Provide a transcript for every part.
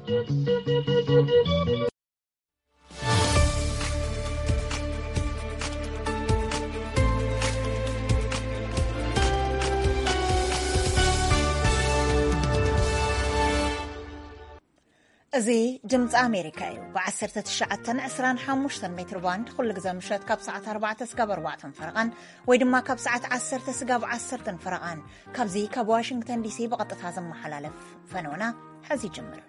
እዚ ድምፂ ኣሜሪካ እዩ። ብ19፣ 25 ሜትር ባንድ ኩሉ ግዜ ምሸት ካብ ሰዓት ኣርባዕተ ስጋብ ኣርባዕተን ፈረቓን፣ ወይ ድማ ካብ ሰዓት ዓሰርተ ስጋብ ዓሰርተን ፈረቓን፣ ካብዚ ካብ ዋሽንግተን ዲሲ ብቐጥታ ዝመሓላለፍ ፈነወና ሕዚ ይጅምር።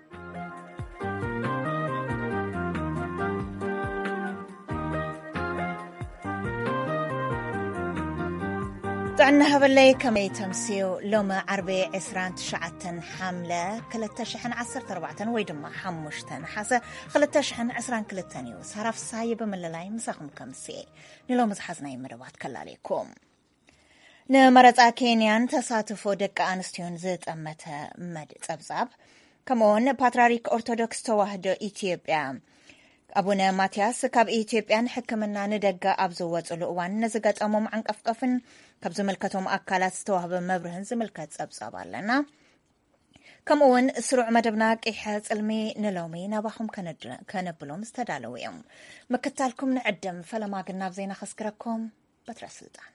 ጥዕና ሃበለይ፣ ከመይ ተምስዩ? ሎሚ ዓርቢ ዕስራን ትሽዓተን ሓምለ ክልተ ሽሕን ዓሰርተ ኣርባዕተን ወይ ድማ ሓሙሽተ ነሓሰ ክልተ ሽሕን ዕስራን ክልተን እዩ። ሳራ ፍሳየ ብምልላይ ምሳኹም ከምስየ። ንሎሚ ዝሓዝናይ መደባት ከላልየኩም። ንመረጻ ኬንያን ተሳትፎ ደቂ ኣንስትዮን ዝጠመተ መድ ጸብጻብ፣ ከምኡውን ፓትርያርክ ኦርቶዶክስ ተዋህዶ ኢትዮጵያ ኣቡነ ማትያስ ካብ ኢትዮጵያ ንሕክምና ንደገ ኣብ ዝወጽሉ እዋን ንዝገጠሞም ዓንቀፍቀፍን ካብ ዝምልከቶም ኣካላት ዝተዋህበ መብርህን ዝምልከት ጸብጻብ ኣለና። ከምኡውን ስሩዕ መደብና ቂሐ ጽልሚ ንሎሚ ናባኹም ከነድ-፣ ከነብሎም ዝተዳለዉ እዮም። ምክታልኩም ንዕድም። ፈለማ ግን ናብ ዜና ከስግረኩም። በትረ ስልጣን።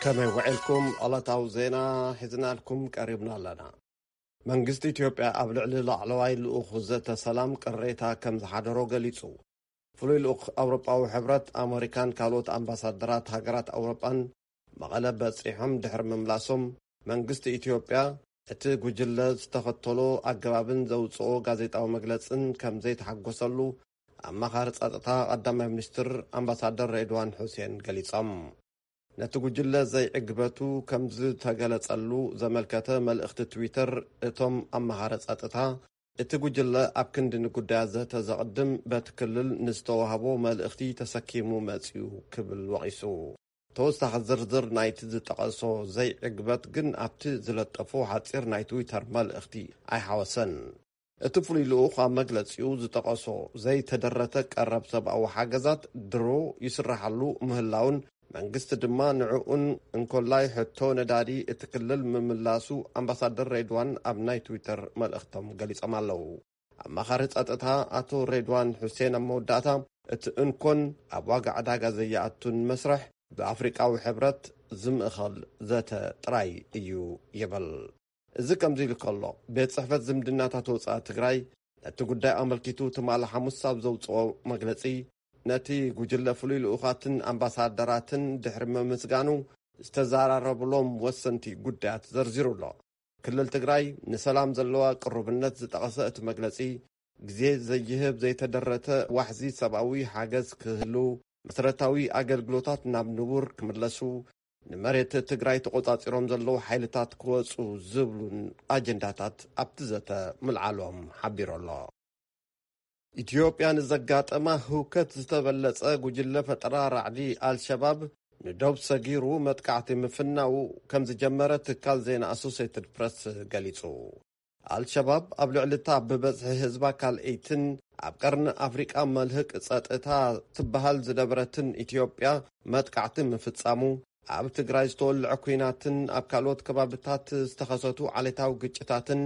ከመይ ውዒልኩም? ዕለታዊ ዜና ሒዝናልኩም ቀሪብና ኣለና። መንግስቲ ኢትዮጵያ ኣብ ልዕሊ ላዕለዋይ ልኡኽ ዘተ ሰላም ቅሬታ ከም ዝሓደሮ ገሊጹ። ፍሉይ ልኡኽ ኣውሮጳዊ ሕብረት፣ ኣመሪካን ካልኦት ኣምባሳደራት ሃገራት ኣውሮጳን መቐለ በጺሖም ድሕሪ ምምላሶም፣ መንግስቲ ኢትዮጵያ እቲ ጉጅለ ዝተኸተሎ ኣገባብን ዘውጽኦ ጋዜጣዊ መግለጽን ከም ዘይተሓጎሰሉ ኣማኻሪ ጸጥታ ቀዳማይ ሚኒስትር ኣምባሳደር ሬድዋን ሑሴን ገሊጾም። ነቲ ጉጅለ ዘይዕግበቱ ከም ዝተገለጸሉ ዘመልከተ መልእኽቲ ትዊተር እቶም ኣማኻሪ ጸጥታ፣ እቲ ጉጅለ ኣብ ክንዲ ንጉዳያት ዘተ ዘቕድም፣ በቲ ክልል ንዝተዋህቦ መልእኽቲ ተሰኪሙ መጺኡ ክብል ወቒሱ። ተወሳኺ ዝርዝር ናይቲ ዝጠቐሶ ዘይዕግበት ግን ኣብቲ ዝለጠፎ ሓጺር ናይ ትዊተር መልእኽቲ ኣይሓወሰን። እቲ ፍሉይ ልኡኽ ኣብ መግለጺኡ ዝጠቐሶ ዘይተደረተ ቀረብ ሰብኣዊ ሓገዛት ድሮ ይስራሓሉ ምህላውን፣ መንግስቲ ድማ ንዕኡን እንኮላይ ሕቶ ነዳዲ እቲ ክልል ምምላሱ ኣምባሳደር ሬድዋን ኣብ ናይ ትዊተር መልእኽቶም ገሊጾም ኣለዉ። ኣማኻሪ ጸጥታ ኣቶ ሬድዋን ሑሴን ኣብ መወዳእታ፣ እቲ እንኮን ኣብ ዋጋ ዕዳጋ ዘይኣቱን መስርሕ ብኣፍሪቃዊ ሕብረት ዝምእኸል ዘተ ጥራይ እዩ ይብል። እዚ ከምዚ ኢሉ ከሎ፣ ቤት ጽሕፈት ዝምድናታት ወጻኢ ትግራይ ነቲ ጉዳይ ኣመልኪቱ ትማሊ ሓሙስ ኣብ ዘውጽኦ መግለጺ፣ ነቲ ጉጅለ ፍሉይ ልኡኻትን ኣምባሳደራትን ድሕሪ ምምስጋኑ፣ ዝተዘራረብሎም ወሰንቲ ጉዳያት ዘርዚሩ ኣሎ። ክልል ትግራይ ንሰላም ዘለዋ ቅሩብነት ዝጠቐሰ እቲ መግለጺ፣ ግዜ ዘይህብ ዘይተደረተ ዋሕዚ ሰብኣዊ ሓገዝ ክህሉ፣ መሰረታዊ ኣገልግሎታት ናብ ንቡር ክምለሱ፣ ንመሬት ትግራይ ተቖጻጺሮም ዘለዉ ሓይልታት ክወጹ ዝብሉን ኣጀንዳታት ኣብቲ ዘተ ምልዓሎም ሓቢሩ ኣሎ። ኢትዮጵያ ንዘጋጠማ ህውከት ዝተበለጸ ጉጅለ ፈጠራ ራዕዲ ኣልሸባብ ንዶብ ሰጊሩ መጥቃዕቲ ምፍናዉ ከም ዝጀመረ ትካል ዜና ኣሶሴትድ ፕረስ ገሊጹ። ኣልሸባብ ኣብ ልዕሊ እታ ብበዝሒ ህዝባ ካልኣይትን ኣብ ቀርኒ ኣፍሪቃ መልህቅ ጸጥታ ትበሃል ዝነበረትን ኢትዮጵያ መጥቃዕቲ ምፍጻሙ፣ ኣብ ትግራይ ዝተወልዐ ኲናትን ኣብ ካልኦት ከባብታት ዝተኸሰቱ ዓሌታዊ ግጭታትን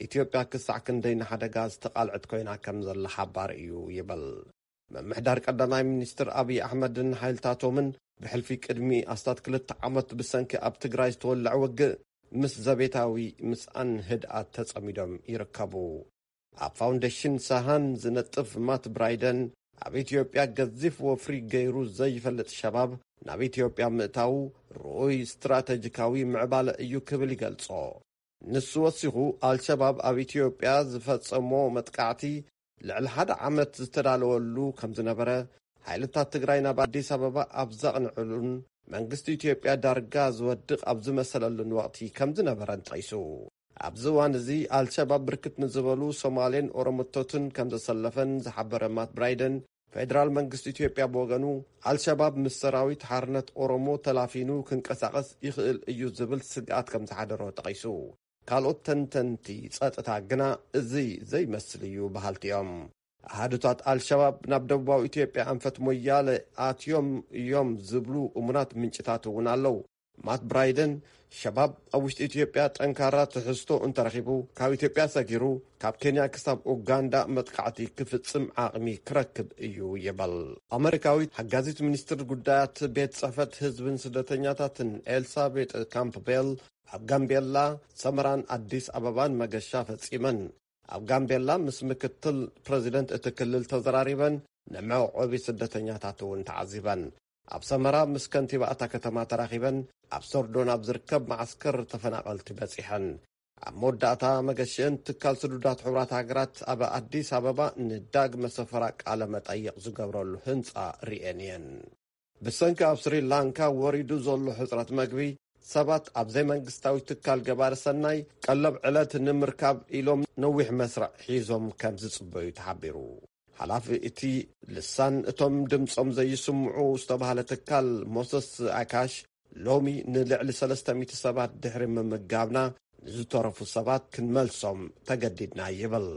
ኢትዮጵያ ክሳዕ ክንደይ ንሓደጋ ዝተቓልዐት ኮይና ከም ዘላ ሓባር እዩ ይብል። ምምሕዳር ቀዳማይ ሚኒስትር ኣብይ ኣሕመድን ሓይልታቶምን ብሕልፊ ቅድሚ ኣስታት ክልተ ዓመት ብሰንኪ ኣብ ትግራይ ዝተወልዐ ውግእ ምስ ዘቤታዊ ምስኣን ህድኣት ተጸሚዶም ይርከቡ። ኣብ ፋውንዴሽን ሳሃን ዝነጥፍ ማት ብራይደን፣ ኣብ ኢትዮጵያ ገዚፍ ወፍሪ ገይሩ ዘይፈልጥ ሸባብ ናብ ኢትዮጵያ ምእታዉ ርኡይ ስትራተጂካዊ ምዕባለ እዩ ክብል ይገልጾ። ንሱ ወሲኹ፣ ኣልሸባብ ኣብ ኢትዮጵያ ዝፈጸሞ መጥቃዕቲ ልዕሊ ሓደ ዓመት ዝተዳለወሉ ከም ዝነበረ፣ ሓይልታት ትግራይ ናብ ኣዲስ ኣበባ ኣብ ዘቕንዕሉን መንግስቲ ኢትዮጵያ ዳርጋ ዝወድቕ ኣብ ዝመሰለሉን ወቕቲ ከም ዝነበረን ጠቒሱ። ኣብዚ እዋን እዚ ኣልሸባብ ብርክት ንዝበሉ ሶማሌን ኦሮሞቶትን ከም ዘሰለፈን ዝሓበረ ማት ብራይደን፣ ፌደራል መንግስቲ ኢትዮጵያ ብወገኑ፣ ኣልሸባብ ምስ ሰራዊት ሓርነት ኦሮሞ ተላፊኑ ክንቀሳቐስ ይኽእል እዩ ዝብል ስግኣት ከም ዝሓደሮ ጠቒሱ። ካልኦት ተንተንቲ ጸጥታ ግና እዚ ዘይመስል እዩ በሃልቲ እዮም። ኣሃዱታት ኣልሸባብ ናብ ደቡባዊ ኢትዮጵያ ኣንፈት ሞያለ ኣትዮም እዮም ዝብሉ እሙናት ምንጭታት እውን ኣለዉ። ማት ብራይደን፣ ሸባብ ኣብ ውሽጢ ኢትዮጵያ ጠንካራ ትሕዝቶ እንተረኺቡ፣ ካብ ኢትዮጵያ ሰጊሩ ካብ ኬንያ ክሳብ ኡጋንዳ መጥቃዕቲ ክፍጽም ዓቕሚ ክረክብ እዩ ይበል። ኣመሪካዊት ሓጋዚት ሚኒስትር ጉዳያት ቤት ጽሕፈት ህዝብን ስደተኛታትን ኤልሳቤጥ ካምፕቤል፣ ኣብ ጋምቤላ፣ ሰመራን ኣዲስ ኣበባን መገሻ ፈጺመን። ኣብ ጋምቤላ ምስ ምክትል ፕረዚደንት እቲ ክልል ተዘራሪበን፣ ንመዕቆቢ ስደተኛታት እውን ተዓዚበን። ኣብ ሰመራ ምስ ከንቲባ እታ ከተማ ተራኺበን፣ ኣብ ሶርዶን ኣብ ዝርከብ መዓስከር ተፈናቐልቲ በጺሐን። ኣብ መወዳእታ፣ መገሽአን ትካል ስዱዳት ሕቡራት ሃገራት ኣብ ኣዲስ ኣበባ ንዳግመ ሰፈራ ቃለ መጠይቕ ዝገብረሉ ህንጻ ርእየን እየን። ብሰንኪ ኣብ ስሪላንካ ወሪዱ ዘሎ ሕጽረት መግቢ፣ ሰባት ኣብ ዘይመንግስታዊ ትካል ገባሪ ሰናይ ቀለብ ዕለት ንምርካብ ኢሎም ነዊሕ መስርዕ ሒዞም ከም ዝጽበዩ ተሓቢሩ። ሓላፊ እቲ ልሳን እቶም ድምጾም ዘይስምዑ ዝተባህለ ትካል ሞሰስ ኣካሽ፣ ሎሚ ንልዕሊ ሰለስተ ሚእቲ ሰባት ድሕሪ ምምጋብና፣ ንዝተረፉ ሰባት ክንመልሶም ተገዲድና ይብል።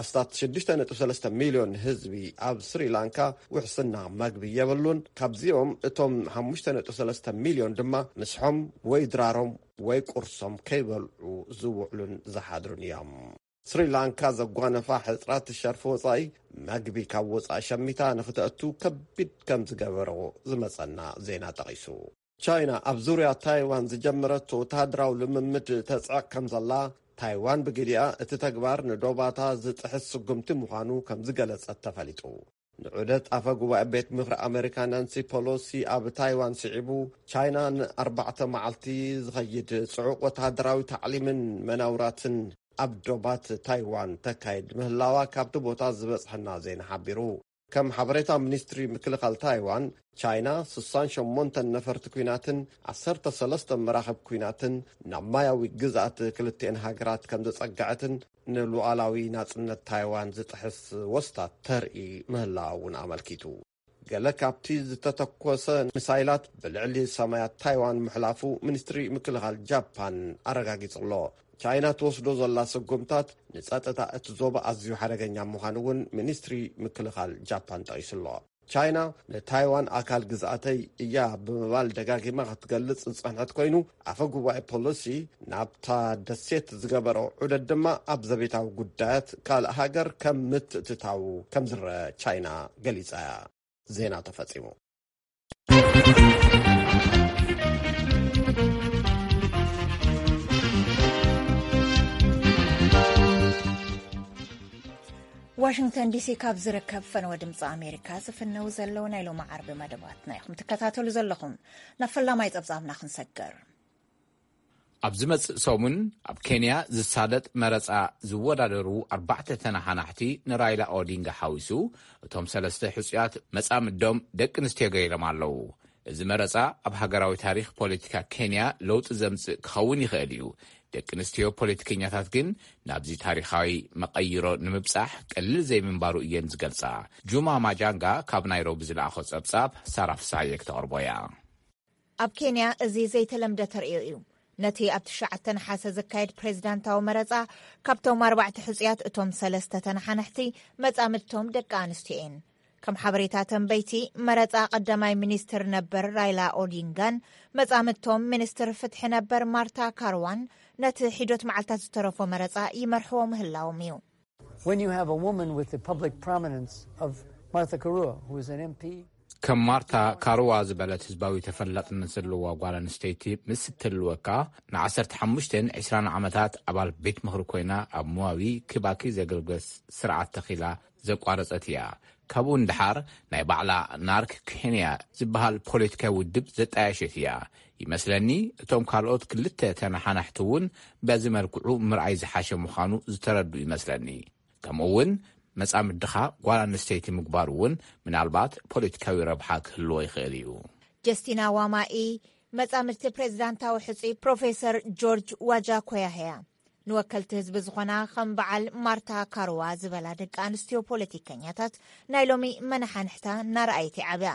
ኣስታት ሽዱሽተ ነጥቢ ሰለስተ ሚልዮን ህዝቢ ኣብ ስሪላንካ ውሕስና መግቢ የብሉን። ካብዚኦም እቶም ሓሙሽተ ነጥቢ ሰለስተ ሚልዮን ድማ ምስሖም ወይ ድራሮም ወይ ቁርሶም ከይበልዑ ዝውዕሉን ዝሓድሩን እዮም። ስሪላንካ ዘጓነፋ ሕጽራት ሸርፊ ወጻኢ፣ መግቢ ካብ ወጻኢ ሸሚታ ንኽተእቱ ከቢድ ከም ዝገበሮ ዝመጸና ዜና ጠቒሱ። ቻይና ኣብ ዙርያ ታይዋን ዝጀመረቶ ወተሃደራዊ ልምምድ ተጽዕቕ ከም ዘላ፣ ታይዋን ብግዲኣ እቲ ተግባር ንዶባታ ዝጥሕስ ስጉምቲ ምዃኑ ከም ዝገለጸት ተፈሊጡ። ንዑደት ኣፈ ጉባኤ ቤት ምኽሪ ኣመሪካ ናንሲ ፖሎሲ ኣብ ታይዋን ስዒቡ፣ ቻይና ንኣርባዕተ መዓልቲ ዝኸይድ ጽዑቕ ወተሃደራዊ ታዕሊምን መናውራትን ኣብ ዶባት ታይዋን ተካይድ ምህላዋ ካብቲ ቦታ ዝበጽሐና ዜና ሓቢሩ። ከም ሓበሬታ ሚኒስትሪ ምክልኻል ታይዋን፣ ቻይና ስሳን ሸሞንተን ነፈርቲ ኲናትን ዓሰርተ ሰለስተ መራኽብ ኲናትን ናብ ማያዊ ግዝኣት ክልቲኤን ሃገራት ከም ዘጸግዐትን ንሉዓላዊ ናጽነት ታይዋን ዝጥሕስ ወስታት ተርኢ ምህላዋ እውን ኣመልኪቱ። ገለ ካብቲ ዝተተኮሰ ሚሳይላት ብልዕሊ ሰማያት ታይዋን ምሕላፉ ሚኒስትሪ ምክልኻል ጃፓን ኣረጋጊጹ ኣሎ። ቻይና ትወስዶ ዘላ ስጉምታት ንጸጥታ እቲ ዞባ ኣዝዩ ሓደገኛ ምዃኑ እውን ሚኒስትሪ ምክልኻል ጃፓን ጠቒሱ ኣሎ። ቻይና ንታይዋን ኣካል ግዝኣተይ እያ ብምባል ደጋጊማ ክትገልጽ ዝጸንሐት ኮይኑ፣ ኣፈ ጉባኤ ፖሎሲ ናብታ ደሴት ዝገበሮ ዑደት ድማ ኣብ ዘቤታዊ ጉዳያት ካልእ ሃገር ከም ምትእትታው ከም ዝረአ ቻይና ገሊጻ እያ። ዜና ተፈጺሙ። ዋሽንግተን ዲሲ ካብ ዝርከብ ፈነወ ድምፂ ኣሜሪካ ዝፍነው ዘለዉ ናይ ሎሚ ዓርቢ መደባትና ኢኹም ትከታተሉ ዘለኹም። ናብ ፈላማይ ጸብጻብና ክንሰገር። ኣብ ዝመጽእ ሰሙን ኣብ ኬንያ ዝሳለጥ መረጻ ዝወዳደሩ ኣርባዕተ ተነሓናሕቲ ንራይላ ኦዲንጋ ሓዊሱ፣ እቶም ሰለስተ ሕጹያት መጻምዶም ደቂ ኣንስትዮ ገይሮም ኣለዉ። እዚ መረጻ ኣብ ሃገራዊ ታሪኽ ፖለቲካ ኬንያ ለውጢ ዘምጽእ ክኸውን ይኽእል እዩ። ደቂ ኣንስትዮ ፖለቲከኛታት ግን ናብዚ ታሪኻዊ መቐይሮ ንምብጻሕ ቀሊል ዘይምንባሩ እየን ዝገልጻ። ጁማ ማጃንጋ ካብ ናይሮቢ ዝለኣኾ ጸብጻብ ሳራ ፍስሃየ ክተቕርቦ እያ። ኣብ ኬንያ እዚ ዘይተለምደ ተርእዮ እዩ። ነቲ ኣብ ትሽዓተ ነሓሰ ዝካየድ ፕሬዝዳንታዊ መረጻ፣ ካብቶም ኣርባዕተ ሕጹያት እቶም ሰለስተ ተነሓናሕቲ መጻምድቶም ደቂ ኣንስትዮ እየን። ከም ሓበሬታ ተንበይቲ መረጻ፣ ቀዳማይ ሚኒስትር ነበር ራይላ ኦዲንጋን መጻምድቶም ሚኒስትር ፍትሒ ነበር ማርታ ካርዋን ነቲ ሒዶት መዓልታት ዝተረፎ መረጻ ይመርሕዎ ምህላዎም እዩ። When you have a woman with the public prominence of Martha Karua, who is an M P, ከም ማርታ ካርዋ ዝበለት ህዝባዊ ተፈላጥነት ዘለዋ ጓል ኣንስተይቲ ምስ እትህልወካ፣ ን ዓሰርተ ሓሙሽተን ዕስራን ዓመታት ኣባል ቤት ምኽሪ ኮይና ኣብ ሙዋዊ ኪባኪ ዘገልግል ስርዓት ተኺላ ዘቋረጸት እያ። ካብኡ ንደሓር ናይ ባዕላ ናርክ ኬንያ ዝበሃል ፖለቲካዊ ውድብ ዘጣየሸት እያ። ይመስለኒ እቶም ካልኦት ክልተ ተነሓናሕቲ እውን በዚ መልክዑ ምርኣይ ዝሓሸ ምዃኑ ዝተረዱ ይመስለኒ። ከምኡ እውን መጻምድኻ ጓል ኣንስተይቲ ምግባሩ እውን ምናልባት ፖለቲካዊ ረብሓ ክህልዎ ይኽእል እዩ። ጀስቲና ዋማኢ፣ መጻምድቲ ፕሬዝዳንታዊ ሕጹይ ፕሮፌሰር ጆርጅ ዋጃኮያህያ፣ ንወከልቲ ህዝቢ ዝኾና ከም በዓል ማርታ ካርዋ ዝበላ ደቂ ኣንስትዮ ፖለቲከኛታት ናይ ሎሚ መነሓንሕታ እናረኣየት ይዓብያ።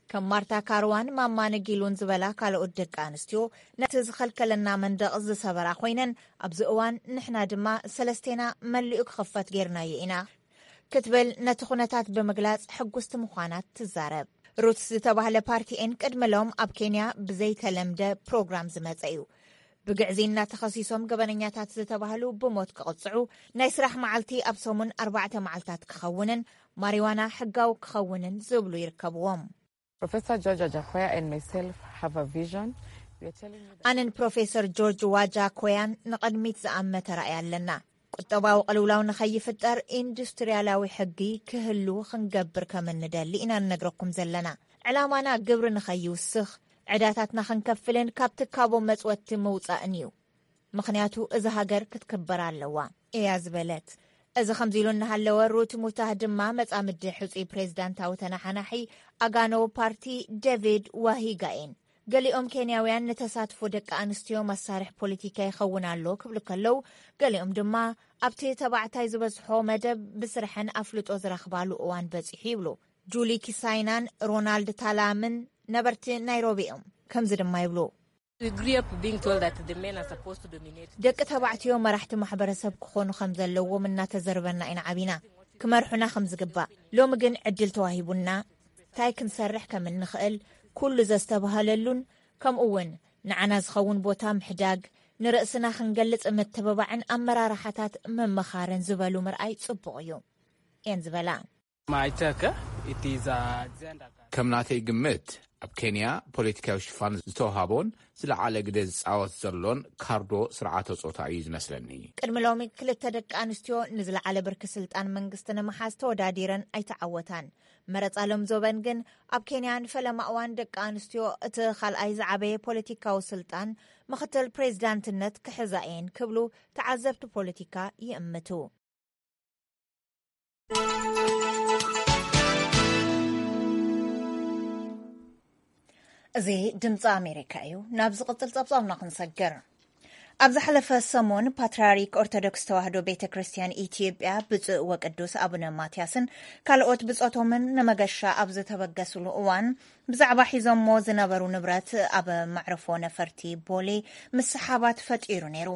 ከም ማርታ ካርዋን ማማ ነጊሉን ዝበላ ካልኦት ደቂ ኣንስትዮ ነቲ ዝኸልከለና መንደቕ ዝሰበራ ኮይነን፣ ኣብዚ እዋን ንሕና ድማ ሰለስቴና መሊኡ ክኽፈት ጌርናዮ ኢና ክትብል ነቲ ኩነታት ብምግላጽ ሕጉስቲ ምዃና ትዛረብ። ሩትስ ዝተባህለ ፓርቲ ኤን ቅድሚ ሎም ኣብ ኬንያ ብዘይተለምደ ፕሮግራም ዝመጸ እዩ። ብግዕዝይና ተኸሲሶም ገበነኛታት ዝተባህሉ ብሞት ክቕጽዑ፣ ናይ ስራሕ መዓልቲ ኣብ ሰሙን ኣርባዕተ መዓልታት ክኸውንን ማሪዋና ሕጋዊ ክኸውንን ዝብሉ ይርከብዎም። Professor George Ajakoya and myself have a vision. We are telling you that ኣነን ፕሮፌሰር ጆርጅ ዋጃ ኮያን ንቕድሚት ዝኣመተ ራእይ ኣለና። ቁጠባዊ ቅልውላው ንኸይፍጠር ኢንዱስትርያላዊ ሕጊ ክህሉ ክንገብር ከም እንደሊ ኢና ንነግረኩም ዘለና። ዕላማና ግብሪ ንኸይውስኽ፣ ዕዳታትና ክንከፍልን ካብ ትካቦ መጽወቲ ምውጻእን እዩ። ምኽንያቱ እዛ ሃገር ክትክበር ኣለዋ እያ ዝበለት። እዚ ከምዚ ኢሉ እናሃለወ ሩት ሙታህ ድማ መጻምዲ ሕጹይ ፕሬዝዳንታዊ ተነሓናሒ ኣጋኖ ፓርቲ ዴቪድ ዋሂጋኤን። ገሊኦም ኬንያውያን ንተሳትፎ ደቂ ኣንስትዮ መሳርሒ ፖለቲካ ይኸውን ኣሎ ክብሉ ከለዉ፣ ገሊኦም ድማ ኣብቲ ተባዕታይ ዝበዝሖ መደብ ብስርሐን ኣፍልጦ ዝረኽባሉ እዋን በጺሑ ይብሉ። ጁሊ ኪሳይናን ሮናልድ ታላምን ነበርቲ ናይሮቢ እዮም። ከምዚ ድማ ይብሉ። We grew up being told that the men are supposed to dominate. ደቂ ተባዕትዮ መራሕቲ ማሕበረሰብ ክኾኑ ከም ዘለዎም እናተዘርበና ኢና ዓቢና፣ ክመርሑና ከም ዝግባእ። ሎሚ ግን ዕድል ተዋሂቡና፣ እንታይ ክንሰርሕ ከም እንኽእል ኩሉ ዘስተብሃለሉን፣ ከምኡ እውን ንዓና ዝኸውን ቦታ ምሕዳግ፣ ንርእስና ክንገልጽ ምትብባዕን ኣመራርሓታት ምምኻርን ዝበሉ ምርኣይ ጽቡቕ እዩ እየን ዝበላ። My take, it is a gender. ከም ናተይ ግምት፣ ኣብ ኬንያ ፖለቲካዊ ሽፋን ዝተውሃቦን ዝለዓለ ግደ ዝጻወት ዘሎን ካርዶ ስርዓተ ጾታ እዩ ዝመስለኒ። ቅድሚ ሎሚ ክልተ ደቂ ኣንስትዮ ንዝለዓለ ብርኪ ስልጣን መንግስቲ ንምሓዝ ተወዳዲረን ኣይተዓወታን። መረጻ ሎም ዞበን ግን ኣብ ኬንያ ንፈለማ እዋን ደቂ ኣንስትዮ እቲ ካልኣይ ዝዓበየ ፖለቲካዊ ስልጣን ምኽትል ፕሬዝዳንትነት ክሕዛ እየን ክብሉ ተዓዘብቲ ፖለቲካ ይእምቱ። እዚ ድምፂ ኣሜሪካ እዩ። ናብ ዝቕፅል ፀብፃብና ክንሰግር። ኣብ ዝሓለፈ ሰሙን ፓትርያርክ ኦርቶዶክስ ተዋህዶ ቤተ ክርስቲያን ኢትዮጵያ ብፁዕ ወቅዱስ ኣቡነ ማትያስን ካልኦት ብጾቶምን ንመገሻ ኣብ ዝተበገስሉ እዋን ብዛዕባ ሒዞሞ ዝነበሩ ንብረት ኣብ መዕርፎ ነፈርቲ ቦሌ ምስሓባት ፈጢሩ ነይሩ።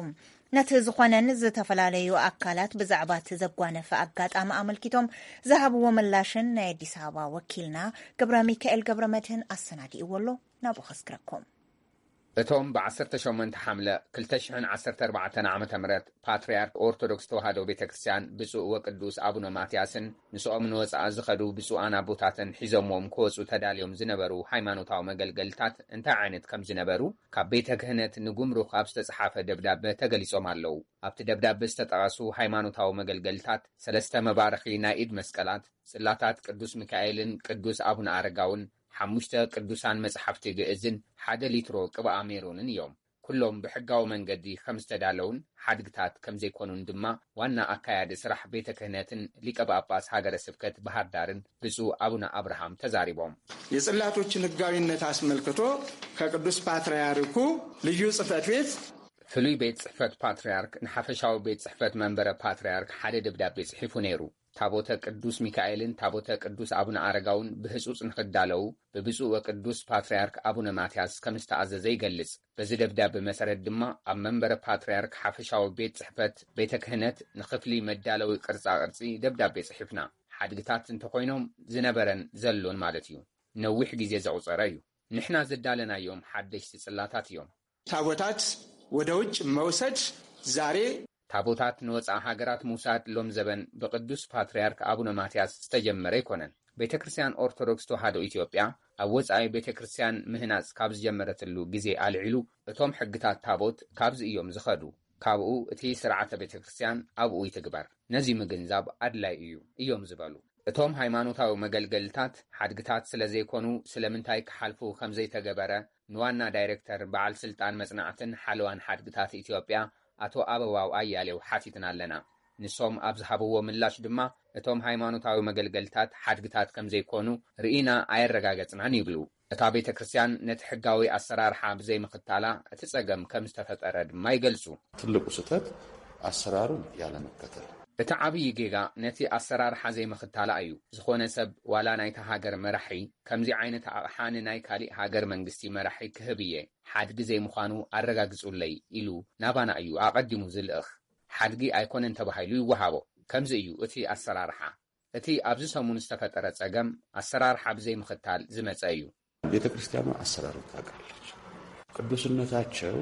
ነቲ ዝኾነን ዝተፈላለዩ ኣካላት ብዛዕባ እቲ ዘጓነፈ ኣጋጣሚ ኣመልኪቶም ዝሃብዎ ምላሽን ናይ ኣዲስ ኣበባ ወኪልና ገብረ ሚካኤል ገብረ መድህን ኣሰናዲእዎ ኣሎ። ናብኡ ከስግረኩም። እቶም ብ ዓሰርተ ሸሞንተ ሓምለ ክልተ ሽሕን ዓሰርተ ኣርባዕተን ዓመተ ምህረት ፓትርያርክ ኦርቶዶክስ ተዋህዶ ቤተ ክርስቲያን ብፁዕ ወቅዱስ ኣቡነ ማትያስን ምስኦም ንወፃኢ ዝኸዱ ብፁዓን ኣቦታትን ሒዞምዎም ክወፁ ተዳልዮም ዝነበሩ ሃይማኖታዊ መገልገልታት እንታይ ዓይነት ከም ዝነበሩ ካብ ቤተ ክህነት ንጉምሩክ ኣብ ዝተፅሓፈ ደብዳበ ተገሊጾም ኣለዉ። ኣብቲ ደብዳበ ዝተጠቐሱ ሃይማኖታዊ መገልገልታት ሰለስተ መባረኺ ናይ ኢድ መስቀላት፣ ጽላታት ቅዱስ ሚካኤልን ቅዱስ ኣቡነ ኣረጋውን፣ ሓሙሽተ ቅዱሳን መጽሓፍቲ ግእዝን ሓደ ሊትሮ ቅብኣ ሜሮንን እዮም። ኩሎም ብሕጋዊ መንገዲ ከም ዝተዳለውን ሓድግታት ከም ዘይኮኑን ድማ ዋና ኣካያዲ ስራሕ ቤተ ክህነትን ሊቀ ጳጳስ ሃገረ ስብከት ባህር ዳርን ብፁዕ ኣቡነ ኣብርሃም ተዛሪቦም። የጽላቶችን ሕጋዊነት አስመልክቶ ከቅዱስ ፓትርያርኩ ልዩ ጽሕፈት ቤት ፍሉይ ቤት ጽሕፈት ፓትርያርክ ንሓፈሻዊ ቤት ጽሕፈት መንበረ ፓትርያርክ ሓደ ደብዳቤ ጽሒፉ ነይሩ። ታቦተ ቅዱስ ሚካኤልን ታቦተ ቅዱስ ኣቡነ ኣረጋውን ብህጹጽ ንኽዳለዉ ብብፁዕ ወቅዱስ ፓትርያርክ ኣቡነ ማትያስ ከም ዝተኣዘዘ ይገልጽ። በዚ ደብዳቤ መሰረት ድማ ኣብ መንበረ ፓትርያርክ ሓፈሻዊ ቤት ጽሕፈት ቤተ ክህነት ንኽፍሊ መዳለዊ ቅርጻ ቅርጺ ደብዳቤ ጽሒፍና። ሓድግታት እንተኾይኖም ዝነበረን ዘሎን ማለት እዩ። ነዊሕ ግዜ ዘቑጸረ እዩ። ንሕና ዘዳለናዮም ሓደሽቲ ጽላታት እዮም። ታቦታት ወደ ውጭ መውሰድ ዛሬ ታቦታት ንወፃኢ ሃገራት ምውሳድ ሎም ዘበን ብቅዱስ ፓትርያርክ ኣቡነ ማትያስ ዝተጀመረ ኣይኮነን። ቤተ ክርስቲያን ኦርቶዶክስ ተዋህዶ ኢትዮጵያ ኣብ ወፃኢ ቤተ ክርስቲያን ምህናፅ ካብ ዝጀመረትሉ ግዜ ኣልዒሉ እቶም ሕግታት ታቦት ካብዚ እዮም ዝኸዱ። ካብኡ እቲ ስርዓተ ቤተ ክርስቲያን ኣብኡ ይትግበር። ነዚ ምግንዛብ ኣድላይ እዩ እዮም ዝበሉ። እቶም ሃይማኖታዊ መገልገልታት ሓድግታት ስለ ዘይኮኑ ስለምንታይ ክሓልፉ ከም ዘይተገበረ ንዋና ዳይሬክተር በዓል ስልጣን መጽናዕትን ሓለዋን ሓድግታት ኢትዮጵያ ኣቶ ኣበባው ኣያሌው ሓቲትና ኣለና። ንሶም ኣብ ዝሃብዎ ምላሽ ድማ እቶም ሃይማኖታዊ መገልገልታት ሓድግታት ከም ዘይኮኑ ርኢና ኣየረጋገጽናን ይብሉ። እታ ቤተ ክርስቲያን ነቲ ሕጋዊ ኣሰራርሓ ብዘይምኽታላ እቲ ጸገም ከም ዝተፈጠረ ድማ ይገልጹ። ትልቁ ስህተት ኣሰራሩን ያለመከተል። እቲ ዓብዪ ጌጋ ነቲ ኣሰራርሓ ዘይምኽታላ እዩ። ዝኾነ ሰብ ዋላ ናይታ ሃገር መራሒ ከምዚ ዓይነት ኣቕሓ ንናይ ካሊእ ሃገር መንግስቲ መራሒ ክህብ እየ፣ ሓድጊ ዘይምዃኑ ኣረጋግጹለይ ኢሉ ናባና እዩ ኣቐዲሙ ዝልእኽ። ሓድጊ ኣይኮነን ተባሂሉ ይወሃቦ። ከምዚ እዩ እቲ ኣሰራርሓ። እቲ ኣብዚ ሰሙን ዝተፈጠረ ጸገም ኣሰራርሓ ብዘይምኽታል ዝመጸ እዩ። ቤተ ክርስቲያኑ ኣሰራር ታውቃለች። ቅዱስነታቸው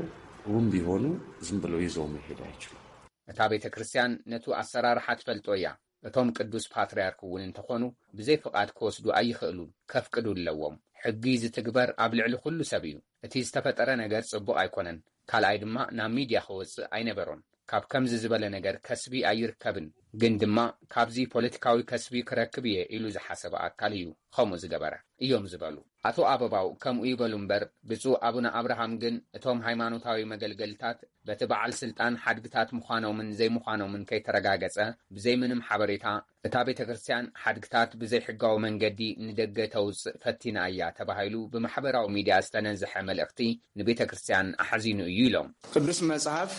እውን ቢሆኑ ዝም ብለው ይዘው መሄድ ኣይችሉም። እታ ቤተ ክርስቲያን ነቱ ኣሰራርሓ ትፈልጦ እያ። እቶም ቅዱስ ፓትርያርክ እውን እንተኾኑ ብዘይ ፍቓድ ክወስዱ ኣይኽእሉን፣ ከፍቅዱ ኣለዎም። ሕጊ ዝትግበር ኣብ ልዕሊ ኩሉ ሰብ እዩ። እቲ ዝተፈጠረ ነገር ጽቡቕ ኣይኮነን። ካልኣይ ድማ ናብ ሚድያ ክወጽእ ኣይነበሮን። ካብ ከምዚ ዝበለ ነገር ከስቢ ኣይርከብን። ግን ድማ ካብዚ ፖለቲካዊ ከስቢ ክረክብ እየ ኢሉ ዝሓሰበ ኣካል እዩ ከምኡ ዝገበረ እዮም ዝበሉ ኣቶ ኣበባው። ከምኡ ይበሉ እምበር ብፁዕ ኣቡነ ኣብርሃም ግን እቶም ሃይማኖታዊ መገልገልታት በቲ በዓል ስልጣን ሓድግታት ምዃኖምን ዘይምዃኖምን ከይተረጋገጸ ብዘይ ምንም ሓበሬታ እታ ቤተ ክርስቲያን ሓድግታት ብዘይ ሕጋዊ መንገዲ ንደገ ተውጽእ ፈቲና እያ ተባሂሉ ብማሕበራዊ ሚድያ ዝተነዝሐ መልእኽቲ ንቤተ ክርስቲያን ኣሕዚኑ እዩ ኢሎም። ቅዱስ መጽሐፍ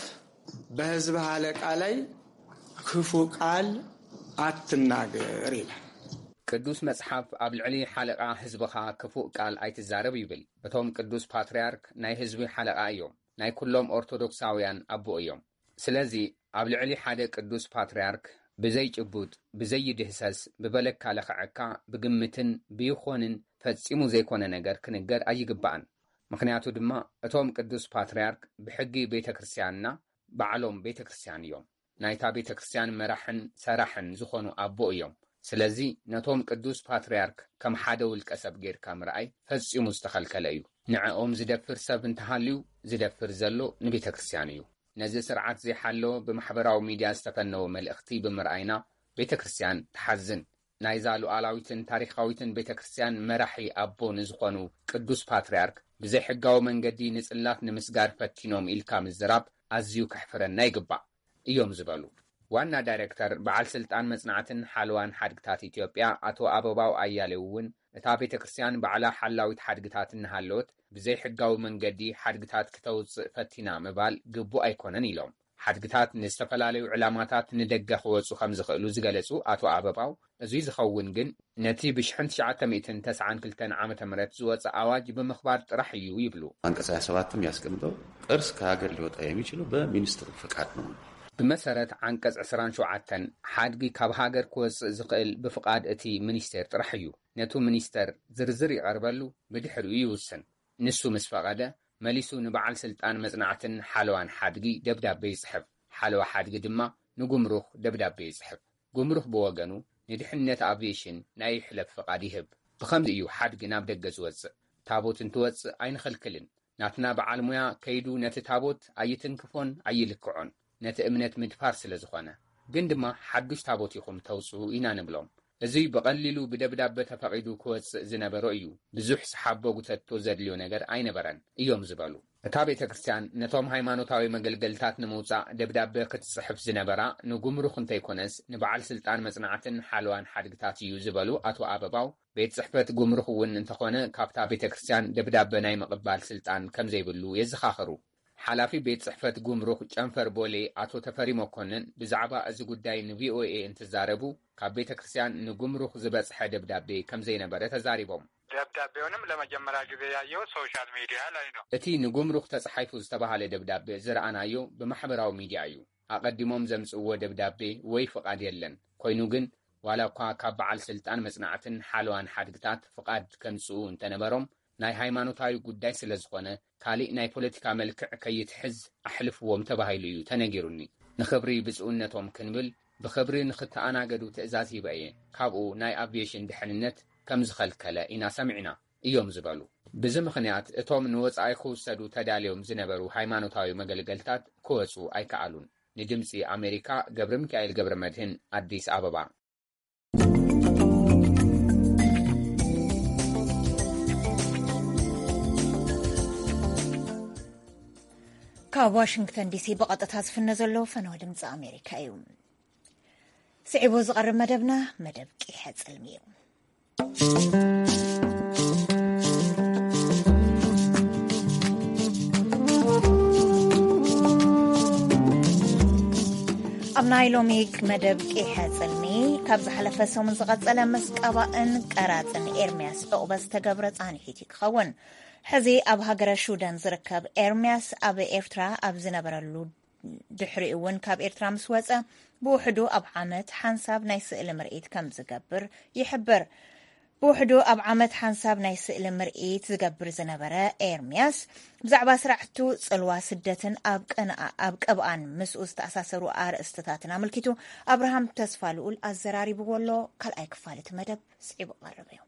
በሕዝብ ሀለቃ ላይ ክፉ ቃል አትናገር ይላል። ቅዱስ መጽሓፍ ኣብ ልዕሊ ሓለቓ ህዝብኻ ክፉእ ቃል ኣይትዛረብ ይብል። እቶም ቅዱስ ፓትርያርክ ናይ ህዝቢ ሓለቓ እዮም። ናይ ኩሎም ኦርቶዶክሳውያን ኣቦ እዮም። ስለዚ ኣብ ልዕሊ ሓደ ቅዱስ ፓትርያርክ ብዘይ ጭቡጥ፣ ብዘይ ይድህሰስ፣ ብበለካ ለኽዐካ፣ ብግምትን ብይኾንን ፈጺሙ ዘይኮነ ነገር ክንገር ኣይግባእን። ምኽንያቱ ድማ እቶም ቅዱስ ፓትርያርክ ብሕጊ ቤተ ክርስቲያንና ባዕሎም ቤተ ክርስቲያን እዮም። ናይታ ቤተ ክርስቲያን መራሕን ሰራሕን ዝኾኑ ኣቦ እዮም። ስለዚ ነቶም ቅዱስ ፓትርያርክ ከም ሓደ ውልቀ ሰብ ጌርካ ምርኣይ ፈጺሙ ዝተኸልከለ እዩ። ንዕኦም ዝደፍር ሰብ እንተሃልዩ ዝደፍር ዘሎ ንቤተ ክርስቲያን እዩ። ነዚ ስርዓት ዘይሓለወ ብማሕበራዊ ሚድያ ዝተፈነወ መልእኽቲ ብምርኣይና ቤተ ክርስቲያን ትሓዝን። ናይዛ ሉዓላዊትን ታሪኻዊትን ቤተ ክርስቲያን መራሒ ኣቦ ንዝኾኑ ቅዱስ ፓትርያርክ ብዘይሕጋዊ መንገዲ ንጽላት ንምስጋር ፈቲኖም ኢልካ ምዝራብ ኣዝዩ ከሕፍረና ይግባእ እዮም ዝበሉ ዋና ዳይሬክተር በዓል ስልጣን መጽናዕትን ሓለዋን ሓድግታት ኢትዮጵያ ኣቶ ኣበባው ኣያሌው እውን እታ ቤተ ክርስቲያን ባዕላ ሓላዊት ሓድግታት እናሃለወት ብዘይሕጋዊ መንገዲ ሓድግታት ክተውጽእ ፈቲና ምባል ግቡእ ኣይኮነን ኢሎም። ሓድግታት ንዝተፈላለዩ ዕላማታት ንደገ ክወጹ ከም ዝኽእሉ ዝገለጹ ኣቶ ኣበባው፣ እዙይ ዝኸውን ግን ነቲ ብሽሕን ትሽዓተ ሚእትን ተስዓን ክልተን ዓመተ ምህረት ዝወጸ ኣዋጅ ብምኽባር ጥራሕ እዩ ይብሉ። አንቀጽ ሃያ ሰባትም ያስቀምጠው ቅርስ ከሀገር ሊወጣ የሚችለው በሚኒስትሩ ፈቃድ ነው። ብመሰረት ዓንቀጽ ዕስራን ሸውዓተን ሓድጊ ካብ ሃገር ክወጽእ ዝኽእል ብፍቓድ እቲ ሚኒስቴር ጥራሕ እዩ። ነቱ ሚኒስተር ዝርዝር ይቐርበሉ፣ ብድሕሪኡ ይውስን። ንሱ ምስ ፈቐደ መሊሱ ንበዓል ስልጣን መጽናዕትን ሓለዋን ሓድጊ ደብዳቤ ይጽሕፍ። ሓለዋ ሓድጊ ድማ ንጉምሩኽ ደብዳቤ ይጽሕፍ። ጉምሩኽ ብወገኑ ንድሕነት ኣቪዬሽን ናይ ይሕለፍ ፍቓድ ይህብ። ብኸምዚ እዩ ሓድጊ ናብ ደገ ዝወጽእ። ታቦት እንትወጽእ ኣይንኸልክልን። ናትና በዓል ሙያ ከይዱ ነቲ ታቦት ኣይትንክፎን ኣይልክዖን። ነቲ እምነት ምድፋር ስለ ዝኾነ። ግን ድማ ሓዱሽ ታቦት ኢኹም ተውጽኡ ኢና ንብሎም። እዙይ ብቐሊሉ ብደብዳበ ተፈቒዱ ክወጽእ ዝነበሮ እዩ። ብዙሕ ሰሓቦ ጉተቶ ዘድልዮ ነገር ኣይነበረን እዮም ዝበሉ። እታ ቤተ ክርስቲያን ነቶም ሃይማኖታዊ መገልገልታት ንምውጻእ ደብዳበ ክትጽሕፍ ዝነበራ ንጉምሩኽ እንተይኮነስ ንበዓል ስልጣን መጽናዕትን ሓለዋን ሓድግታት እዩ ዝበሉ ኣቶ ኣበባው፣ ቤት ጽሕፈት ጉምሩኽ እውን እንተኾነ ካብታ ቤተ ክርስቲያን ደብዳበ ናይ ምቕባል ስልጣን ከም ዘይብሉ የዘኻኽሩ። ሓላፊ ቤት ጽሕፈት ጉምሩኽ ጨንፈር ቦሌ ኣቶ ተፈሪ መኮንን ብዛዕባ እዚ ጉዳይ ንቪኦኤ እንትዛረቡ፣ ካብ ቤተ ክርስቲያን ንጉምሩኽ ዝበጽሐ ደብዳቤ ከም ዘይነበረ ተዛሪቦም። ደብዳቤውንም ለመጀመሪያ ጊዜ ያየሁት ሶሻል ሚዲያ ላይ ነው። እቲ ንጉምሩኽ ተጻሒፉ ዝተባህለ ደብዳቤ ዝረኣናዮ ብማሕበራዊ ሚዲያ እዩ። ኣቐዲሞም ዘምጽእዎ ደብዳቤ ወይ ፍቓድ የለን። ኮይኑ ግን፣ ዋላ እኳ ካብ በዓል ስልጣን መጽናዕትን ሓለዋን ሓድግታት ፍቓድ ከምጽኡ እንተነበሮም፣ ናይ ሃይማኖታዊ ጉዳይ ስለ ዝኾነ፣ ካሊእ ናይ ፖለቲካ መልክዕ ከይትሕዝ ኣሕልፍዎም ተባሂሉ እዩ ተነጊሩኒ። ንኽብሪ ብፁዕነቶም ክንብል ብኽብሪ ንኽተኣናገዱ ትእዛዝ ሂበ እየ። ካብኡ ናይ ኣቪዬሽን ድሕንነት ከም ዝኸልከለ ኢና ሰሚዕና እዮም ዝበሉ። ብዚ ምኽንያት እቶም ንወጻኢ ክውሰዱ ተዳልዮም ዝነበሩ ሃይማኖታዊ መገልገልታት ክወጹ ኣይከኣሉን። ንድምጺ ኣሜሪካ ገብረ ሚካኤል ገብረ መድህን ኣዲስ ኣበባ። ካብ ዋሽንግተን ዲሲ ብቐጥታ ዝፍነ ዘሎ ፈነወ ድምፂ ኣሜሪካ እዩ። ስዒቡ ዝቐርብ መደብና መደብ ቂሐ ጽልሚ እዩ። ኣብ ናይ ሎሚ መደብ ቂሐ ጽልሚ ካብ ዝሓለፈ ሰሙን ዝቐጸለ ምስ ቀባእን ቀራጽን ኤርምያስ ዑቕበ ዝተገብረ ጻንሒት እዩ ክኸውን። ሕዚ ኣብ ሃገረ ሹዳን ዝርከብ ኤርምያስ ኣብ ኤርትራ ኣብ ዝነበረሉ ድሕሪኡ እውን ካብ ኤርትራ ምስ ወጸ፣ ብውሕዱ ኣብ ዓመት ሓንሳብ ናይ ስእሊ ምርኢት ከም ዝገብር ይሕብር። ብውሕዱ ኣብ ዓመት ሓንሳብ ናይ ስእሊ ምርኢት ዝገብር ዝነበረ ኤርምያስ፣ ብዛዕባ ስራሕቱ፣ ጽልዋ ስደትን ኣብ ቅብኣን ምስኡ ዝተኣሳሰሩ ኣርእስትታትን ኣመልኪቱ ኣብርሃም ተስፋ ልኡል ኣዘራሪብዎ ኣሎ። ካልኣይ ክፋል እቲ መደብ ስዒቡ ቀርብ እዩ።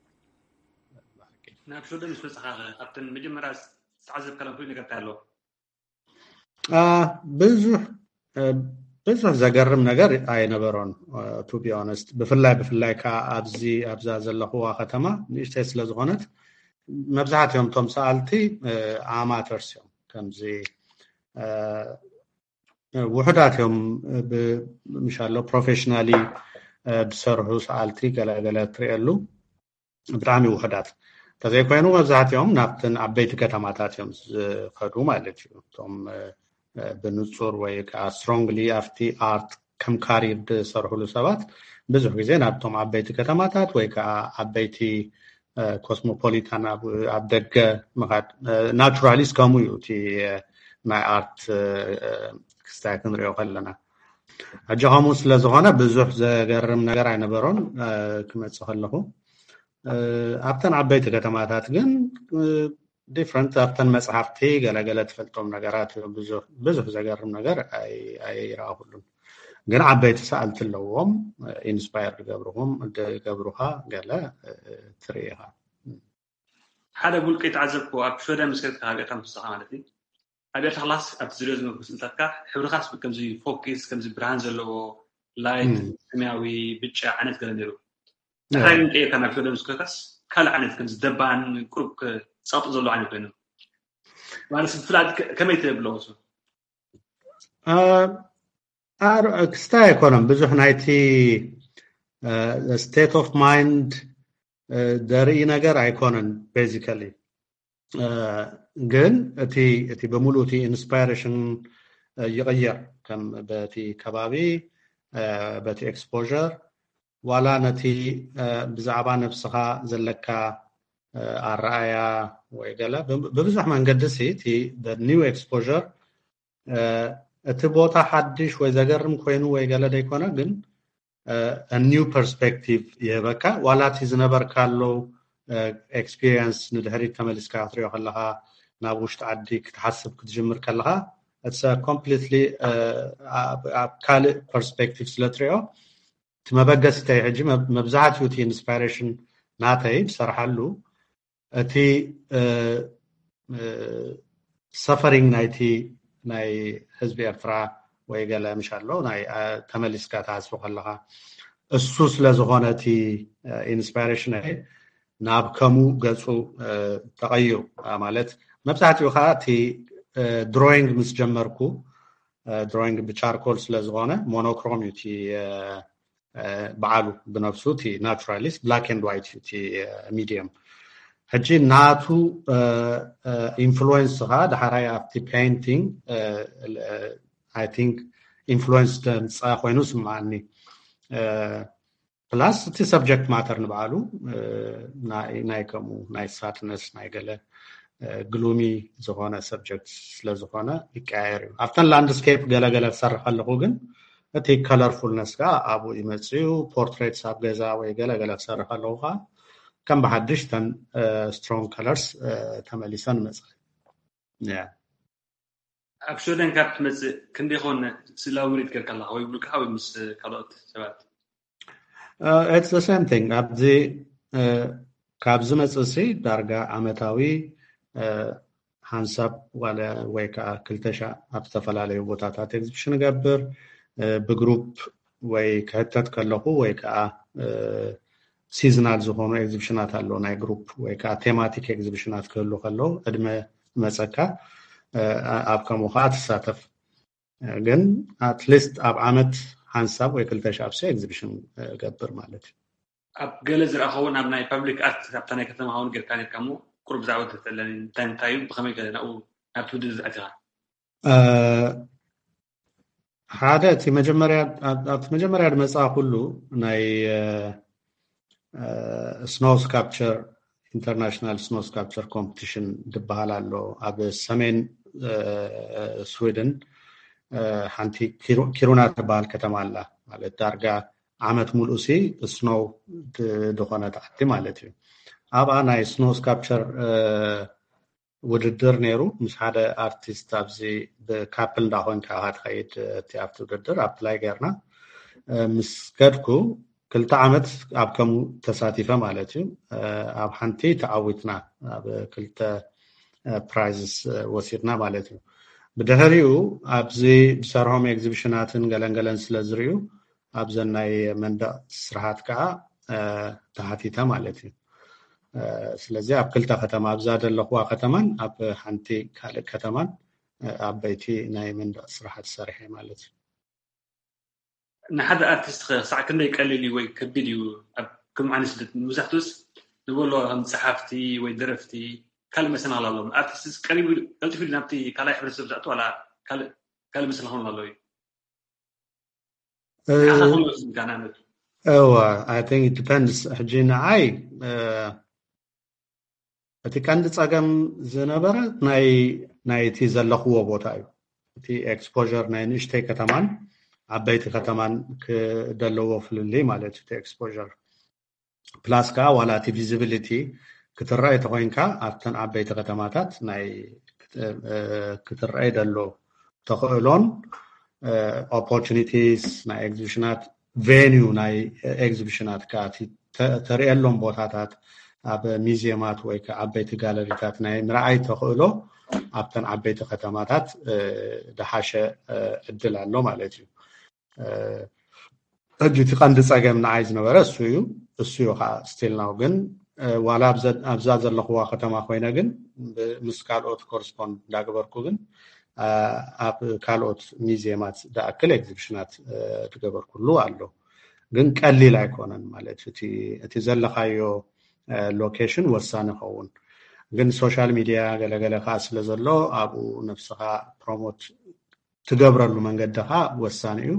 ናብ ሽወደን ምስ በጻኻ፣ ካብተን መጀመርያ ዝተዓዘብካለን ፍሉይ ነገር እንታይ ኣሎ? ብዙሕ ብዙሕ ዘገርም ነገር ኣይነበሮን። ቱ ቢ ኦነስት፣ ብፍላይ ብፍላይ ከዓ ኣብዚ ኣብዛ ዘለኽዋ ከተማ ንእሽተይ ስለዝኾነት፣ መብዛሕትኦም እቶም ሰኣልቲ ኣማተርስ እዮም። ከምዚ ውሑዳት እዮም፣ ምሻሎ ፕሮፌሽናሊ ዝሰርሑ ሰኣልቲ ገለገለ ትሪእየሉ፣ ብጣዕሚ ውሑዳት። እንተዘይኮይኑ መብዛሕትኦም ናብተን ዓበይቲ ከተማታት እዮም ዝኸዱ ማለት እዩ። እቶም ብንጹር ወይ ከዓ ስትሮንግሊ ኣብቲ ኣርት ከም ካሪር ዝሰርሕሉ ሰባት ብዙሕ ግዜ ናብቶም ዓበይቲ ከተማታት ወይ ከዓ ዓበይቲ ኮስሞፖሊታን ኣብ ደገ ምኻድ ናቹራሊ እስከሙ እዩ። እቲ ናይ ኣርት ክስታይ ክንሪኦ ከለና፣ ሕጂ ከምኡ ስለዝኾነ ብዙሕ ዘገርም ነገር ኣይነበሮን። ክመፅእ ከለኹ ኣብተን ዓበይቲ ከተማታት ግን ዲፍረንት ኣብተን መፅሓፍቲ ገለገለ ትፈልጦም ነገራት ብዙሕ ዘገርም ነገር ኣይረኣኹሉን። ግን ዓበይቲ ሰኣልቲ ኣለዎም፣ ኢንስፓየር ዝገብርኹም ዝገብሩኻ ገለ ትርኢ ኢኻ። ሓደ ብውልቂ ተዓዘብኩ ኣብ ሽወደን ምስ ከድካ ካብ ኤርትራ ምስ ወጻኻ ማለት እዩ። ኣብ ኤርትራ ክላስ ኣብቲ ዝሪኦ ዝነበርኩ ስእልታትካ ሕብርኻስ ከምዚ ፎኪስ ከምዚ ብርሃን ዘለዎ ላይት ሰማያዊ ብጫ ዓይነት ገለ ነይሩ። ድሕራይ ግን ቀይርካ ናብ ሽወደን ምስ ከድካስ ካልእ ዓይነት ከምዚ ደባን ቁሩብ ጸቕጢ ዘለዎ ዓይነት ኮይኑ ማለት ፍላድ ከመይ ትብሎ እሱ? ክስታይ ኣይኮነን ብዙሕ ናይቲ ስቴት ኦፍ ማይንድ ዘርኢ ነገር ኣይኮነን። ቤዚካሊ ግን እቲ እቲ ብምሉእ እቲ ኢንስፓይሬሽን ይቕየር፣ ከም በቲ ከባቢ፣ በቲ ኤክስፖር፣ ዋላ ነቲ ብዛዕባ ነብስኻ ዘለካ ኣረኣያ ወይ ገለ ብብዙሕ መንገዲ ሲ እቲ ኒው ኤክስፖር እቲ ቦታ ሓድሽ ወይ ዘገርም ኮይኑ ወይ ገለ ደይኮነ፣ ግን ኒው ፐርስፔክቲቭ ይህበካ። ዋላ እቲ ዝነበርካሉ ኤክስፒሪየንስ ንድሕሪት ተመሊስካ ክትሪኦ ከለኻ፣ ናብ ውሽጢ ዓዲ ክትሓስብ ክትጅምር ከለኻ፣ ኮምፕሊትሊ ኣብ ካልእ ፐርስፔክቲቭ ስለ ትሪኦ፣ እቲ መበገሲተይ ሕጂ መብዛሕትኡ እቲ ኢንስፓይሬሽን ናተይ ዝሰርሓሉ እቲ ሰፈሪንግ ናይቲ ናይ ህዝቢ ኤርትራ ወይ ገለ ምሽ ኣሎ ናይ ተመሊስካ ትሓስቦ ከለኻ፣ እሱ ስለ ዝኾነ እቲ ኢንስፓይሬሽን ናብ ከምኡ ገጹ ተቐይሩ። ማለት መብዛሕትኡ ከዓ እቲ ድሮይንግ ምስ ጀመርኩ፣ ድሮይንግ ብቻርኮል ስለ ዝኾነ ሞኖክሮም እዩ እቲ በዓሉ ብነብሱ እቲ ናቹራሊስት ብላክ ኤንድ ዋይት እዩ እቲ ሚዲየም። ሕጂ ናቱ ኢንፍሉዌንስ ከዓ ዳሕራይ ኣብቲ ፔይንቲንግ ኣይ ቲንክ ኢንፍሉዌንስ ዘምፀ ኮይኑ ስምዓኒ። ፕላስ እቲ ሰብጀክት ማተር ንባዕሉ ናይ ከምኡ ናይ ሳድነስ ናይ ገለ ግሉሚ ዝኾነ ሰብጀክት ስለዝኾነ ይቀያየር እዩ። ኣብተን ላንድስኬፕ ገለገለ ክሰርሕ ከለኹ ግን እቲ ከለርፉልነስ ከዓ ኣብኡ ይመፅእ እዩ። ፖርትሬትስ ኣብ ገዛ ወይ ገለገለ ክሰርሕ ከለኹ ከዓ ከም ብሓድሽ ተን ስትሮንግ ከለርስ ተመሊሰን ይመፅእ። ኣብ ሽወደን ካብ ትመፅእ ክንደይ ኮን ስእላዊ ምርኢት ጌርካ ኣለካ ወይ ብልክዓ ወይ ምስ ካልኦት ሰባት? It's the same thing። ኣብዚ ካብ ዝመፅእ ሲ ዳርጋ ዓመታዊ ሓንሳብ ዋለ ወይ ከዓ ክልተ ሻዕ ኣብ ዝተፈላለዩ ቦታታት ኤግዚቢሽን እገብር። ብግሩፕ ወይ ክሕተት ከለኹ ወይ ከዓ ሲዝናል ዝኾኑ ኤግዚቢሽናት ኣለዉ፣ ናይ ግሩፕ ወይ ከዓ ቴማቲክ ኤግዚቢሽናት ክህሉ ከለዉ ዕድመ መፀካ ኣብ ከምኡ ከዓ ትሳተፍ። ግን ኣትሊስት ኣብ ዓመት ሓንሳብ ወይ ክልተ ሻብ ሲ ኤግዚቢሽን ገብር ማለት እዩ። ኣብ ገለ ዝረኣኸውን ኣብ ናይ ፓብሊክ ኣርት ኣብታ ናይ ከተማ ኸውን ጌርካ ኔርካ ሞ ቁሩብ ብዛዕባ ተተለኒ እንታይ እንታይ እዩ ብኸመይ ገለ ናብኡ ናብቲ ውድድር ኣቲኻ? ሓደ እቲ መጀመርያ ኣብቲ መጀመርያ ዝመፅኣ ኩሉ ናይ ስኖው ስካፕቸር ኢንተርናሽናል ስኖው ስካፕቸር ኮምፒቲሽን ዝበሃል ኣሎ ኣብ ሰሜን ስዊድን። ሓንቲ ኪሩና ትበሃል ከተማ ኣላ። ማለት ዳርጋ ዓመት ሙሉእ ሲ ስኖው ዝኾነት ዓዲ ማለት እዩ። ኣብኣ ናይ ስኖው ስካፕቸር ውድድር ነይሩ። ምስ ሓደ ኣርቲስት ኣብዚ ብካፕል እንዳኮንካ ኢኻ ትኸይድ። እቲ ኣብቲ ውድድር ኣፕላይ ገርና ምስ ከድኩ ክልተ ዓመት ኣብ ከምኡ ተሳቲፈ ማለት እዩ። ኣብ ሓንቲ ተዓዊትና፣ ኣብ ክልተ ፕራይዝስ ወሲድና ማለት እዩ። ብድሕሪኡ ኣብዚ ዝሰርሖም ኤግዚቢሽናትን ገለንገለን ስለ ዝርእዩ ኣብዘን ናይ መንደቕ ስራሓት ከዓ ተሓቲተ ማለት እዩ። ስለዚ ኣብ ክልተ ከተማ፣ ኣብዛ ዘለኹዋ ከተማን ኣብ ሓንቲ ካልእ ከተማን ዓበይቲ ናይ መንደቕ ስራሓት ሰሪሐ ማለት እዩ። ንሓደ ኣርቲስት ክሳዕ ክንደይ ቀሊል እዩ ወይ ከቢድ እዩ? ኣብ ከም ዓይነት ስደት መብዛሕትኡስ ንበሎ ከም ጸሓፍቲ ወይ ደረፍቲ ካልእ መሰናኽል ኣለዎም። ኣርቲስት ቀሪቡ ቀልጢፉ ናብቲ ካልኣይ ሕብረተሰብ ዝኣቱ ዋላ ካልእ መሰናኽል ኣሎ እዩ? እዋ I think it depends። ሕጂ ንዓይ እቲ ቀንዲ ጸገም ዝነበረ ናይ ናይቲ ዘለኽዎ ቦታ እዩ። እቲ ኤክስፖር ናይ ንእሽተይ ከተማን ዓበይቲ ከተማን ክደለዎ ፍልልይ ማለት እዩ። እቲ ኤክስፖር ፕላስ ከዓ ዋላ እቲ ቪዚቢሊቲ ክትረኣይ ተኮይንካ ኣብተን ዓበይቲ ከተማታት ናይ ክትረኣይ ደሎ ተኽእሎን ኦፖርቹኒቲስ ናይ ኤግዚቢሽናት ቬኒዩ ናይ ኤግዚቢሽናት ከዓ ተርእየሎም ቦታታት ኣብ ሚዚየማት ወይ ከዓ ዓበይቲ ጋለሪታት ናይ ምርኣይ ተኽእሎ ኣብተን ዓበይቲ ከተማታት ዝሓሸ ዕድል ኣሎ ማለት እዩ። ሕጂ እቲ ቀንዲ ፀገም ንዓይ ዝነበረ እሱ እዩ እሱ እዩ ከዓ ስቲል ናው ግን ዋላ ኣብዛ ዘለኽዋ ከተማ ኮይነ ግን ምስ ካልኦት ኮርስፖንድ እንዳገበርኩ ግን ኣብ ካልኦት ሚዚየማት ዝኣክል ኤግዚቢሽናት ዝገበርኩሉ ኣሎ። ግን ቀሊል ኣይኮነን ማለት እቲ ዘለኻዮ ሎኬሽን ወሳኒ ይኸውን። ግን ሶሻል ሚድያ ገለገለ ከዓ ስለ ዘሎ ኣብኡ ነብስኻ ፕሮሞት ትገብረሉ መንገዲ ከዓ ወሳኒ እዩ።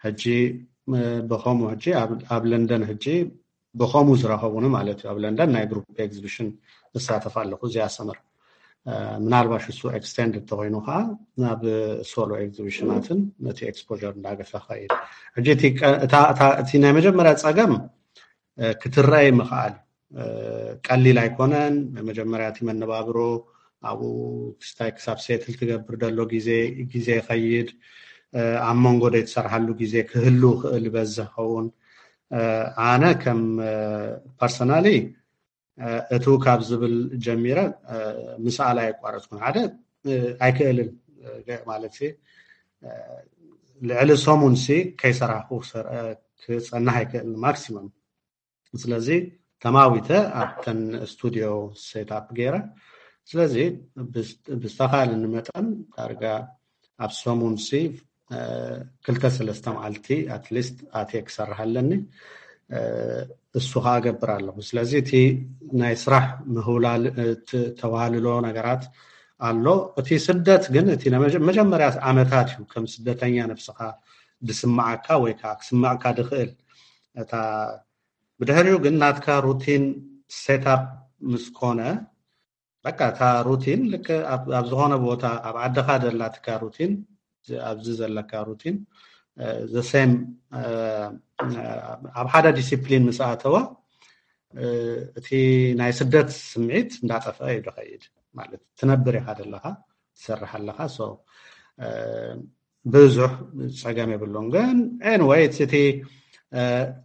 ሕጂ ብኸምኡ ሕጂ ኣብ ለንደን ሕጂ ብኸምኡ ዝረኸቡኒ ማለት እዩ። ኣብ ለንደን ናይ ግሩፕ ኤግዚቢሽን እሳተፍ ኣለኹ እዚኣ ሰመር። ምናልባሽ እሱ ኤክስቴንድ እንተኮይኑ ከዓ ናብ ሶሎ ኤግዚቢሽናትን ነቲ ኤክስፖር እንዳገፈ ኸይድ። ሕጂ እቲ ናይ መጀመርያ ፀገም ክትረኣይ ምኽኣል ቀሊል ኣይኮነን። መጀመርያ እቲ መነባብሮ ኣብኡ ክስታይ ክሳብ ሴትል ትገብር ደሎ ግዜ ግዜ ይኸይድ። ኣብ መንጎ ደይ ትሰርሓሉ ግዜ ክህሉ ክእል ይበዝሕ ኸውን። ኣነ ከም ፐርሰናሊ እቱ ካብ ዝብል ጀሚረ ምስኣል ኣየቋረፅኩን። ሓደ ኣይክእልን ማለት ልዕሊ ሰሙን ሲ ከይሰራሕኩ ክፀናሕ ኣይክእልን ማክሲመም። ስለዚ ተማዊተ ኣብተን ስቱዲዮ ሴት ኣፕ ገይረ። ስለዚ ብዝተኻለኒ መጠን ዳርጋ ኣብ ሰሙን ሲ ክልተ ሰለስተ መዓልቲ ኣትሊስት ኣትየ ክሰርሕ ኣለኒ። እሱ ከዓ እገብር ኣለኹ። ስለዚ እቲ ናይ ስራሕ ምህውላል ተዋህልሎ ነገራት ኣሎ። እቲ ስደት ግን እቲ መጀመርያ ዓመታት እዩ ከም ስደተኛ ነብስኻ ዝስምዓካ ወይ ከዓ ክስምዕካ ዝኽእል። እታ ብድሕሪኡ ግን ናትካ ሩቲን ሴታፕ ምስ ኮነ በቃ እታ ሩቲን ልክ ኣብ ዝኾነ ቦታ ኣብ ዓድኻ ዘላትካ ሩቲን ኣብዚ ዘለካ ሩቲን ዘሴም ኣብ ሓደ ዲሲፕሊን ምስ ኣተወ እቲ ናይ ስደት ስምዒት እንዳጠፍአ እዩ ዝኸይድ። ማለት ትነብር ኢኻ ዘለኻ ትሰርሕ ኣለኻ። ብዙሕ ፀገም የብሉን። ግን ኤንወይ እቲ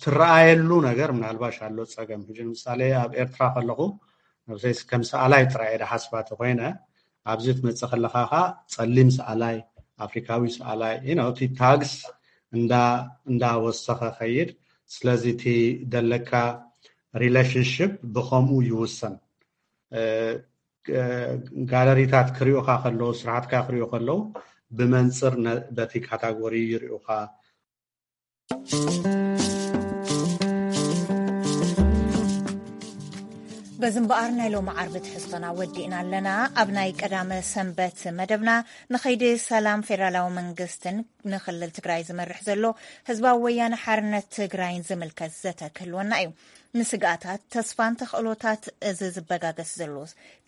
ትረኣየሉ ነገር ምናልባሽ ኣሎ ፀገም። ሕጂ ንምሳሌ ኣብ ኤርትራ ከለኹ ነብሰይ ከም ሰኣላይ ጥራይ እየ ዝሓስባ ተኮይነ ኣብዚ ትመፅእ ከለኻ ከዓ ፀሊም ሰኣላይ ኣፍሪካዊ ሰኣላይ እቲ ታግስ እንዳወሰኸ ከይድ። ስለዚ እቲ ደለካ ሪሌሽንሽፕ ብከምኡ ይውሰን። ጋለሪታት ክሪኡካ ከለዉ ስራሕትካ ክሪኡ ከለዉ ብመንፅር በቲ ካታጎሪ ይሪኡካ። በዚ እምበኣር ናይ ሎሚ ዓርቢ ትሕዝቶና ወዲእና ኣለና። ኣብ ናይ ቀዳመ ሰንበት መደብና ንኸይዲ ሰላም ፌደራላዊ መንግስትን ንክልል ትግራይ ዝመርሕ ዘሎ ህዝባዊ ወያነ ሓርነት ትግራይን ዝምልከት ዘተ ክህልወና እዩ። ንስግኣታት፣ ተስፋን ተኽእሎታት እዚ ዝበጋገስ ዘሎ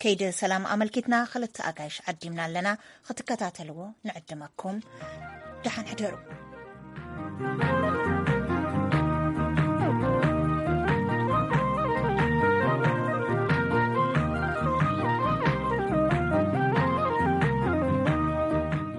ከይዲ ሰላም ኣመልኪትና ክልተ ኣጋይሽ ዓዲምና ኣለና። ክትከታተልዎ ንዕድመኩም። ደሓን ሕደሩ።